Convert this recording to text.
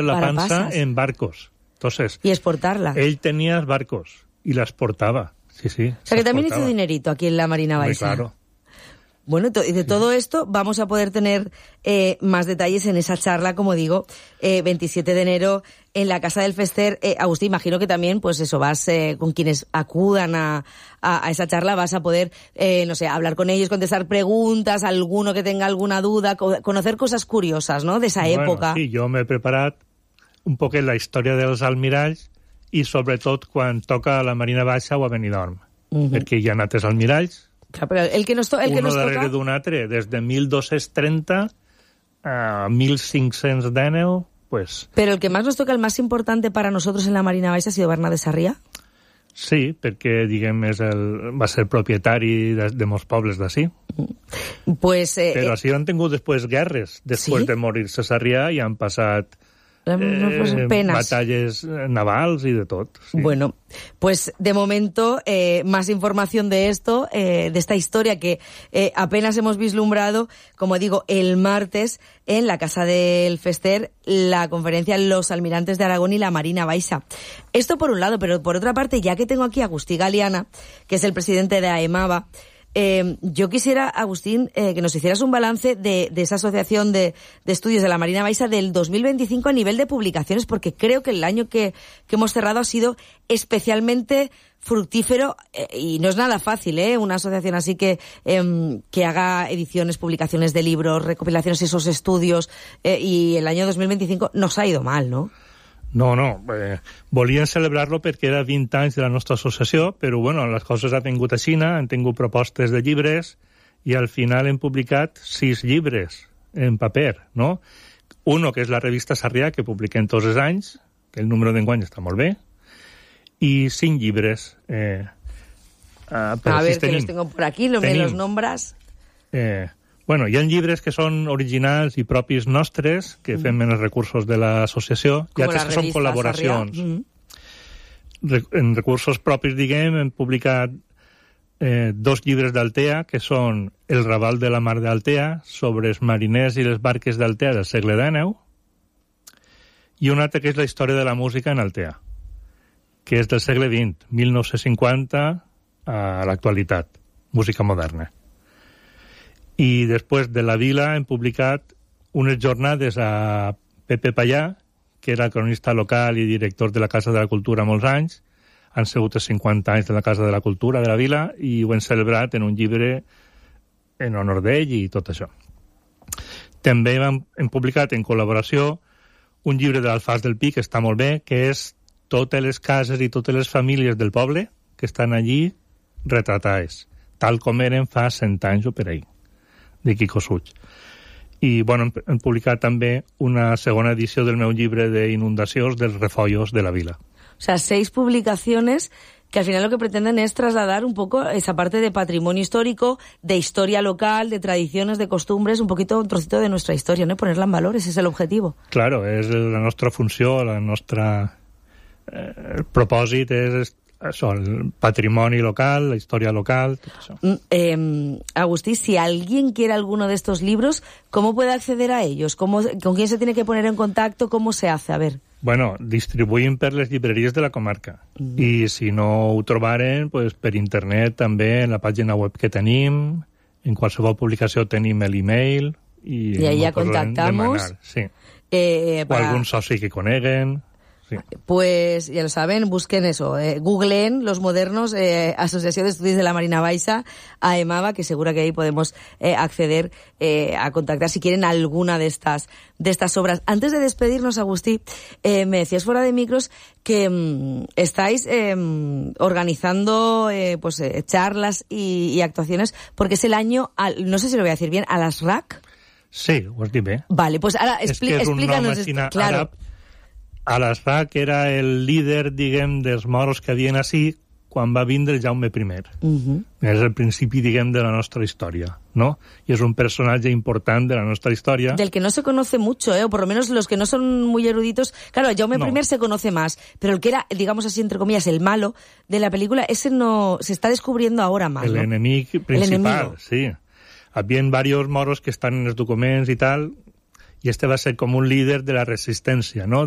la para panza pasas. en barcos. Entonces, Y exportarla. él tenía barcos y la exportaba. Sí, sí. O sea que también hizo dinerito aquí en la Marina Hombre, Baixa. claro. Bueno, y de todo esto vamos a poder tener más detalles en esa charla, como digo, 27 de enero en la Casa del Fester. Agustín, imagino que también, pues eso, vas con quienes acudan a esa charla, vas a poder, no sé, hablar con ellos, contestar preguntas, alguno que tenga alguna duda, conocer cosas curiosas, ¿no?, de esa època. Sí, jo m'he preparat un poc la història dels almiralls i sobretot quan toca a la Marina Baixa o a Benidorm, perquè hi ha altres almiralls, Claro, pero el que nos uno toca... darrere d'un altre, des de 1230 a 1519, pues... Pero el que más nos toca, el más importante para nosotros en la Marina Baixa, ha sido Bernat de Sarrià. Sí, perquè, diguem, va ser propietari de molts pobles d'ací. Pues... Però així han tingut després guerres. Després ¿Sí? de morir-se Sarrià i han passat penas. batalles navals y de todo. Sí. Bueno, pues de momento más información de esto, de esta historia que apenas hemos vislumbrado, como digo, el martes en la Casa del Fester, la conferencia Los Almirantes de Aragón y la Marina Baixa. Esto por un lado, pero por otra parte, ya que tengo aquí a Agustí Galiana, que es el presidente de AEMABA, yo quisiera, Agustín, que nos hicieras un balance de esa asociación de estudios de la Marina Baixa del 2025 a nivel de publicaciones, porque creo que el año que hemos cerrado ha sido especialmente fructífero y no es nada fácil, una asociación así que haga ediciones, publicaciones de libros, recopilaciones de esos estudios, y el año 2025 nos ha ido mal, ¿no? No, volien celebrar-lo perquè era 20 anys de la nostra associació, però bueno, les coses han tingut a Xina, han tingut propostes de llibres i al final hem publicat 6 llibres en paper, no? Uno, que és la revista Sarrià, que publiquem tots els anys, que el número d'enguany està molt bé, i 5 llibres. A ver, que los tengo por aquí, me los nombras. Bueno, hi ha llibres que són originals i propis nostres, que fem en els recursos de l'associació, i altres que són col·laboracions. En recursos propis, diguem, hem publicat 2 llibres d'Altea, que són El Raval de la Mar d'Altea, sobre els mariners i les barques d'Altea del segle XIX, i un altre que és la història de la música en Altea, que és del segle XX, 1950 a l'actualitat, música moderna. I després de la vila hem publicat unes jornades a Pepe Pallà, que era cronista local i director de la Casa de la Cultura molts anys. Han sigut els 50 anys de la Casa de la Cultura de la vila i ho hem celebrat en un llibre en honor d'ell i tot això. També hem publicat en col·laboració un llibre de l'Alfàs del Pi, que està molt bé, que és totes les cases i totes les famílies del poble que estan allí retratades, tal com eren fa 100 anys o per ahí, de Quico Suig. I, bueno, hem publicat també una segona edició del meu llibre d'inundacions dels refollos de la vila. O sea, 6 publicaciones que al final lo que pretenden es trasladar un poco esa parte de patrimonio histórico, de historia local, de tradiciones, de costumbres, un poquito, un trocito de nuestra historia, ¿no? Ponerla en valor, ese es el objetivo. Claro, és la nostra funció, la nostra... el propòsit és això, el patrimoni local, la historia local, tot això. Agustí, si alguien quiere alguno de estos libros, ¿cómo puede acceder a ellos? ¿Con quién se tiene que poner en contacto? ¿Cómo se hace? A ver. Bueno, distribuïm per les llibreries de la comarca. I si no ho trobaren, pues, per internet també, en la pàgina web que tenim, en qualsevol publicació tenim l'email i ahí ya contactamos. Demanar, sí. O algun soci que coneguen. Sí. Pues ya lo saben, busquen eso, googleen Los Modernos, Asociación de Estudios de la Marina Baixa, AEMABA, que seguro que ahí podemos acceder a contactar si quieren alguna de estas obras. Antes de despedirnos, Agustí, me decías fuera de micros que estáis organizando pues charlas y actuaciones, porque es el año, no sé si lo voy a decir bien, a las RAC. Sí, ho has dit bé. Vale, pues ahora explícanos. Claro. Àrab. Al-Azraq era el líder, diguem, dels moros que havien així quan va vindre Jaume I. És el principi, diguem, de la nostra història, ¿no? Y es un personaje importante de la nuestra historia. Del que no se conoce mucho, o por lo menos los que no son muy eruditos. Claro, Jaume I se conoce más, pero el que era, digamos así, entre comillas, el malo de la película, ese no se está descubriendo ahora más, el ¿no? enemic principal, sí. Habien varios moros que estan en els documents i tal, y este va a ser como un líder de la resistencia, ¿no?